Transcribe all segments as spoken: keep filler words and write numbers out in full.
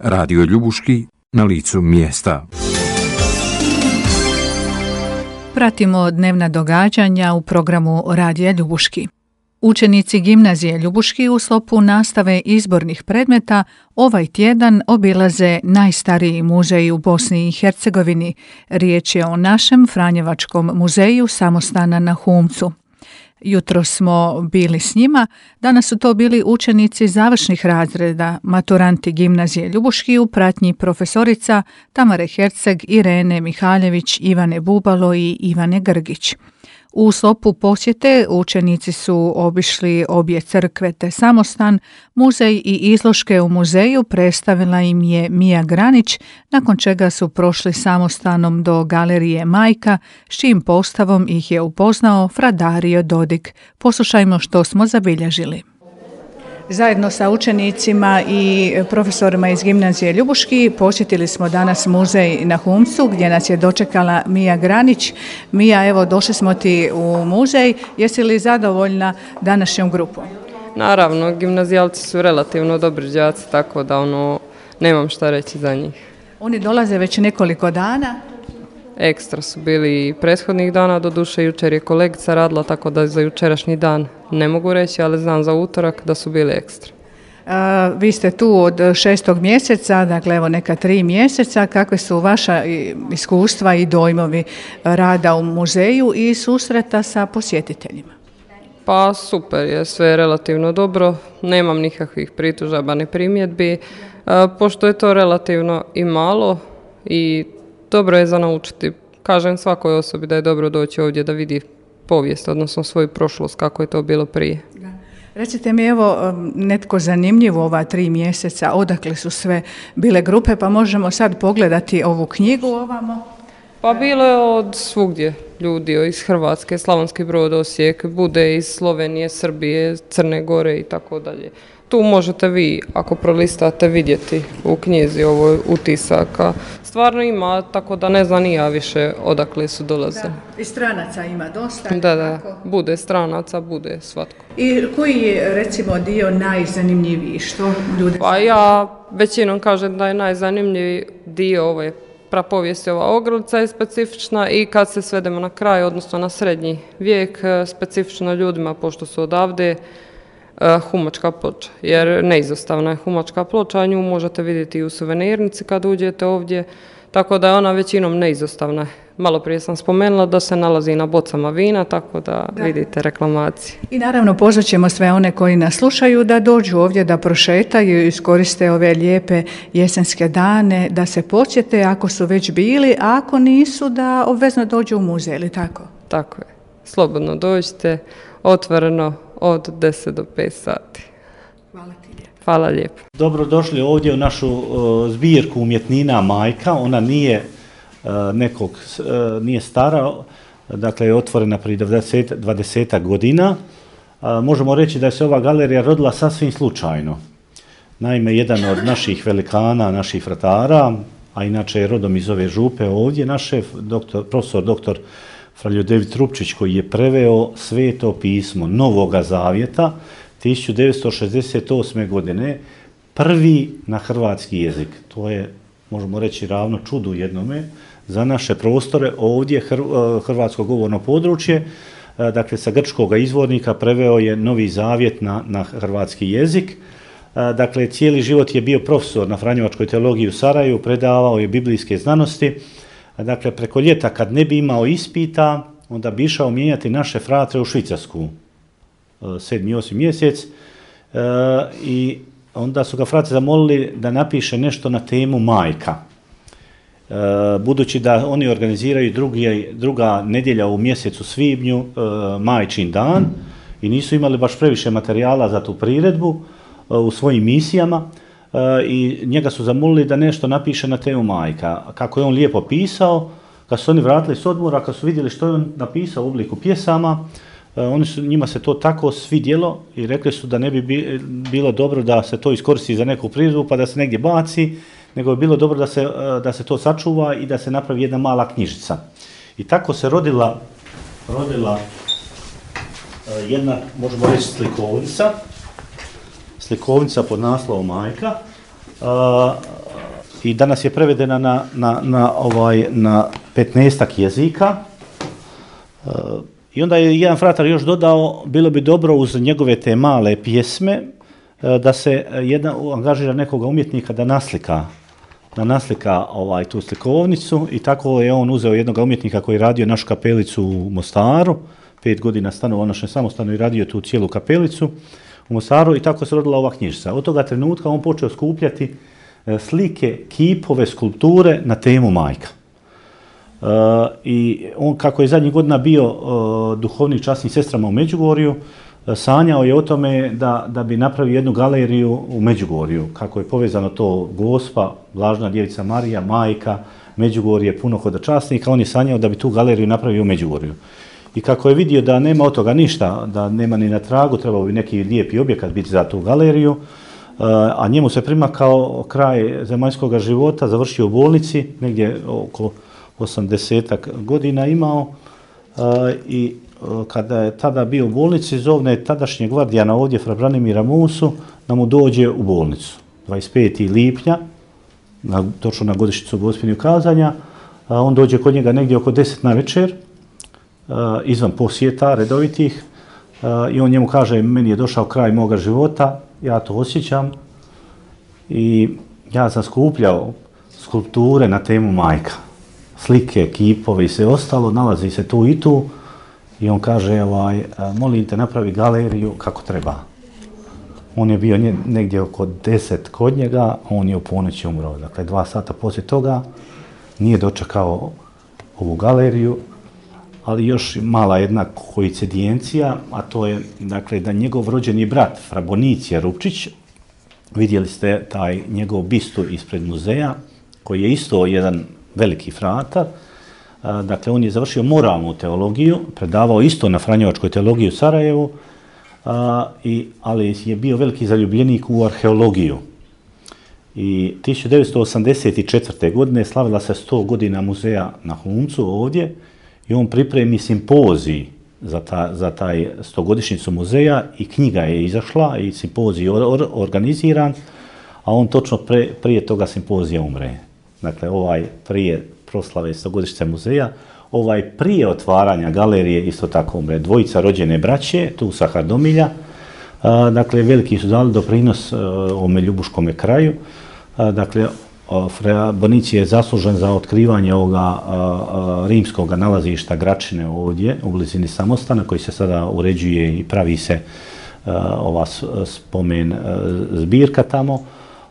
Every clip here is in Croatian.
Radio Ljubuški, na licu mjesta. Pratimo dnevna događanja u programu Radija Ljubuški. Učenici gimnazije Ljubuški u sklopu nastave izbornih predmeta ovaj tjedan obilaze najstariji muzej u Bosni i Hercegovini. Riječ je o našem Franjevačkom muzeju samostana na Humcu. Jutro smo bili s njima, danas su to bili učenici završnih razreda, maturanti gimnazije Ljubuški u pratnji profesorica Tamare Herceg, Irene Mihaljević, Ivane Bubalo i Ivane Grgić. U sklopu posjete učenici su obišli obje crkve te samostan, muzej i izložke u muzeju predstavila im je Mija Granić, nakon čega su prošli samostanom do galerije Majka, s čijim postavom ih je upoznao fra Dario Dodik. Poslušajmo što smo zabilježili. Zajedno sa učenicima i profesorima iz gimnazije Ljubuški posjetili smo danas muzej na Humcu gdje nas je dočekala Mija Granić. Mija, evo došli smo ti u muzej. Jesi li zadovoljna današnjom grupom? Naravno, gimnazijalci su relativno dobri đaci, tako da ono, nemam šta reći za njih. Oni dolaze već nekoliko dana. Ekstra su bili i prethodnih dana, doduše jučer je kolegica radila, tako da za jučerašnji dan ne mogu reći, ali znam za utorak da su bili ekstra. A, vi ste tu od šestog mjeseca, dakle evo neka tri mjeseca. Kakve su vaša iskustva i dojmovi rada u muzeju i susreta sa posjetiteljima? Pa super je, sve je relativno dobro, nemam nikakvih pritužaba ni primjedbi, a, pošto je to relativno i malo i dobro je za naučiti. Kažem svakoj osobi da je dobro doći ovdje da vidi povijest, odnosno svoju prošlost, kako je to bilo prije. Da. Recite mi, evo, netko zanimljivo ova tri mjeseca, odakle su sve bile grupe, pa možemo sad pogledati ovu knjigu ovamo? Pa bilo je od svugdje ljudi, iz Hrvatske, Slavonski Brod, Osijek, bude iz Slovenije, Srbije, Crne Gore i tako dalje. Tu možete vi, ako prolistate, vidjeti u knjizi ovoj utisaka. Stvarno ima, tako da ne znam ni ja više odakle su dolazili. Da, i stranaca ima dosta. Da, da, bude stranaca, bude svatko. I koji je, recimo, dio najzanimljiviji? Što ljudi... Pa ja većinom kažem da je najzanimljiviji dio ove prapovijesti, ova ogrlica je specifična i kad se svedemo na kraj, odnosno na srednji vijek, specifično ljudima, pošto su odavde, humačka ploča, jer neizostavna je humačka ploča, nju možete vidjeti i u suvenirnici kad uđete ovdje, tako da je ona većinom neizostavna. Malo prije sam spomenula da se nalazi na bocama vina, tako da, da. vidite reklamacije. I naravno pozvat ćemo sve one koji nas slušaju da dođu ovdje, da prošetaju i iskoriste ove lijepe jesenske dane, da se posjete ako su već bili, a ako nisu da obvezno dođu u muzej, ili tako? Tako je. Slobodno dođite, otvoreno od deset do pet sati. Hvala ti lijepo. Hvala lijepo. Dobrodošli ovdje u našu uh, zbirku umjetnina Majka. Ona nije uh, nekog, uh, nije stara, dakle je otvorena prije dvadeset godina. Uh, možemo reći da je se ova galerija rodila sasvim slučajno. Naime, jedan od naših velikana, naših vratara, a inače je rodom iz ove župe ovdje, naš šef, doktor, profesor doktor Franjo David Trupčić, koji je preveo Sveto pismo Novoga Zavjeta tisuću devetsto šezdeset osme godine, prvi na hrvatski jezik. To je, možemo reći, ravno čudu jednome za naše prostore ovdje, hrvatsko govorno područje. Dakle, sa grčkog izvornika preveo je Novi Zavjet na, na hrvatski jezik. Dakle, cijeli život je bio profesor na Franjevačkoj teologiji u Sarajevu, predavao je biblijske znanosti. Dakle, preko ljeta kad ne bi imao ispita, onda bi išao mijenjati naše fratre u Švicarsku, sedmi, osmi mjesec, e, i onda su ga frate zamolili da napiše nešto na temu majka. E, budući da oni organiziraju drugi, druga nedjelja u mjesecu svibnju, e, majčin dan, i nisu imali baš previše materijala za tu priredbu e, u svojim misijama, i njega su zamolili da nešto napiše na temu majka. Kako je on lijepo pisao, kad su oni vratili s odmora, kad su vidjeli što je on napisao u obliku pjesama, oni su, njima se to tako svidjelo i rekli su da ne bi bilo dobro da se to iskoristi za neku priredbu pa da se negdje baci, nego je bilo dobro da se, da se to sačuva i da se napravi jedna mala knjižica. I tako se rodila, rodila jedna, možemo reći, slikovnica, slikovnica pod naslovom Majka. i danas je prevedena na, na, na, ovaj, na petnaestak jezika. E, I onda je jedan fratar još dodao, bilo bi dobro uz njegove te male pjesme e, da se jedna, angažira nekoga umjetnika da naslika da naslika ovaj, tu slikovnicu i tako je on uzeo jednog umjetnika koji je radio našu kapelicu u Mostaru, pet godina stanovao našem samostanu i radio tu cijelu kapelicu u Mostaru i tako se rodila ova knjižica. Od toga trenutka on počeo skupljati e, slike, kipove, skulpture na temu majka. E, I on, kako je zadnjih godina bio e, duhovnik časnim sestrama u Međugorju, e, sanjao je o tome da, da bi napravio jednu galeriju u Međugorju, kako je povezano to Gospa, Blažena djevica Marija, majka, Međugorje, puno hodočasnika, on je sanjao da bi tu galeriju napravio u Međugorju. I kako je vidio da nema od toga ništa, da nema ni na tragu, trebao bi neki lijepi objekat biti za tu galeriju, a njemu se primakao kraj zemaljskog života, završio u bolnici, negdje oko osamdesetak godina imao i kada je tada bio u bolnici, zovne tadašnjeg gvardijana ovdje, fra Branimira Musu, da mu dođe u bolnicu. dvadeset petog lipnja, na, točno na godišnjicu Gospinju kazanja, on dođe kod njega negdje oko deset na večer, izvan posjeta redovitih i on njemu kaže, meni je došao kraj moga života, ja to osjećam i ja sam skupljao skulpture na temu majka, slike, kipove i sve ostalo, nalazi se tu i tu i on kaže, ovaj, molim te napravi galeriju kako treba. On je bio negdje oko deset kod njega, on je u ponoći umro, dakle dva sata poslije toga nije dočekao ovu galeriju, ali još mala jedna koincidencija, a to je dakle, da njegov rođeni brat, fra Bonicija Rupčić, vidjeli ste taj njegov bistu ispred muzeja, koji je isto jedan veliki fratar, dakle on je završio moralnu teologiju, predavao isto na Franjevačkoj teologiji u Sarajevu, i, ali je bio veliki zaljubljenik u arheologiju. I tisuću devetsto osamdeset četvrte. godine slavila se sto godina muzeja na Humcu ovdje, i on pripremi simpozij za, ta, za taj stogodišnjicu muzeja i knjiga je izašla i simpozij or, or, organiziran, a on točno pre, prije toga simpozija umre. Dakle, ovaj prije proslave stogodišnjice muzeja, ovaj prije otvaranja galerije isto tako umre. Dvojica rođene braće, tu sa Hardomilja, a, dakle, veliki su dali doprinos a, ovome ljubuškome kraju, a, dakle, Fra Bonici je zaslužen za otkrivanje ovoga a, a, rimskog nalazišta Gračine ovdje u blizini Samostana, koji se sada uređuje i pravi se a, ova spomen a, zbirka tamo,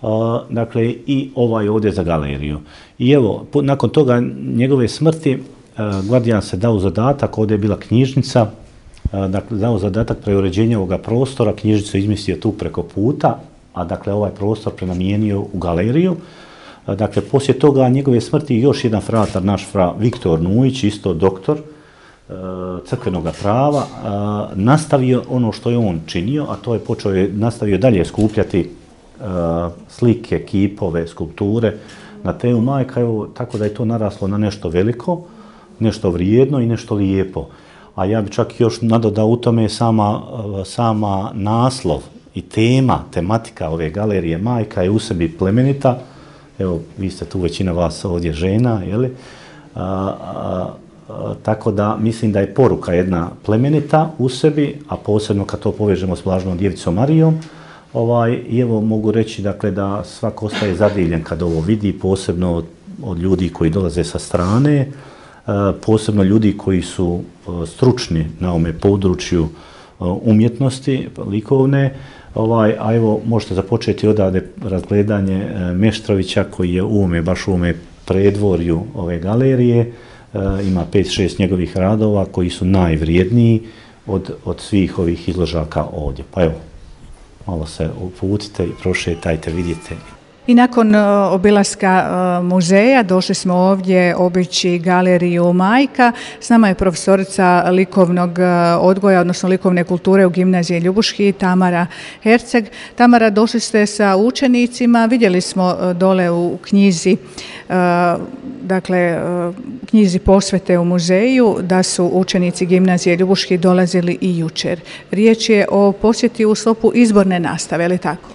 a, dakle i ovaj ovdje za galeriju. I evo, po, nakon toga njegove smrti a, Gvardijan se dao zadatak, ovdje je bila knjižnica, a, dakle dao zadatak preuređenja ovoga prostora, knjižnicu izmislio tu preko puta, a dakle ovaj prostor prenamijenio u galeriju. Dakle, poslije toga njegove smrti još jedan fratar, naš fra Viktor Nujić, isto doktor e, crkvenog prava, e, nastavio ono što je on činio, a to je počeo je, nastavio dalje skupljati e, slike, kipove, skulpture na temu majka, evo, tako da je to naraslo na nešto veliko, nešto vrijedno i nešto lijepo. A ja bi čak još nadodao u tome sama, sama naslov i tema, tematika ove galerije majka je u sebi plemenita. Evo, vi ste tu većina vas ovdje žena, jeli? A, a, a, tako da mislim da je poruka jedna plemenita u sebi, a posebno kad to povežemo s Blaženom djevicom Marijom, ovaj, i evo mogu reći dakle, da svako ostaje zadivljen kad ovo vidi, posebno od, od ljudi koji dolaze sa strane, a, posebno ljudi koji su a, stručni na ovome području a, umjetnosti, likovne. Ovaj, a evo, možete započeti odavde razgledanje e, Meštrovića koji je u ovome, baš u ovome predvorju ove galerije. E, ima pet šest njegovih radova koji su najvrijedniji od, od svih ovih izložaka ovdje. Pa evo, malo se uputite i prošetajte, vidite. I nakon obilaska muzeja došli smo ovdje obići galeriju Majka. S nama je profesorica likovnog odgoja, odnosno likovne kulture u gimnaziji Ljubuški, Tamara Herceg. Tamara, došli ste sa učenicima, vidjeli smo dole u knjizi, dakle, knjizi posvete u muzeju, da su učenici gimnazije Ljubuški dolazili i jučer. Riječ je o posjeti u sklopu izborne nastave, je li tako?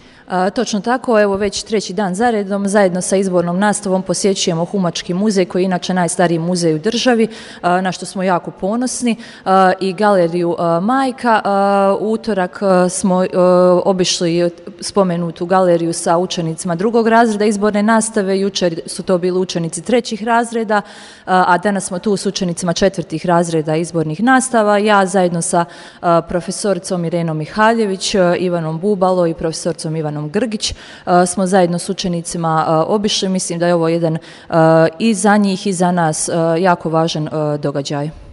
Točno tako, evo već treći dan zaredom, zajedno sa izbornom nastavom posjećujemo Humački muzej, koji je inače najstariji muzej u državi, na što smo jako ponosni, i galeriju Majka. U utorak smo obišli spomenutu galeriju sa učenicima drugog razreda izborne nastave, jučer su to bili učenici trećih razreda, a danas smo tu s učenicima četvrtih razreda izbornih nastava. Ja zajedno sa profesoricom Irenom Mihaljević, Ivanom Bubalo i profesoricom Ivanom Grgić smo zajedno s učenicima obišli. Mislim da je ovo jedan i za njih i za nas jako važan događaj.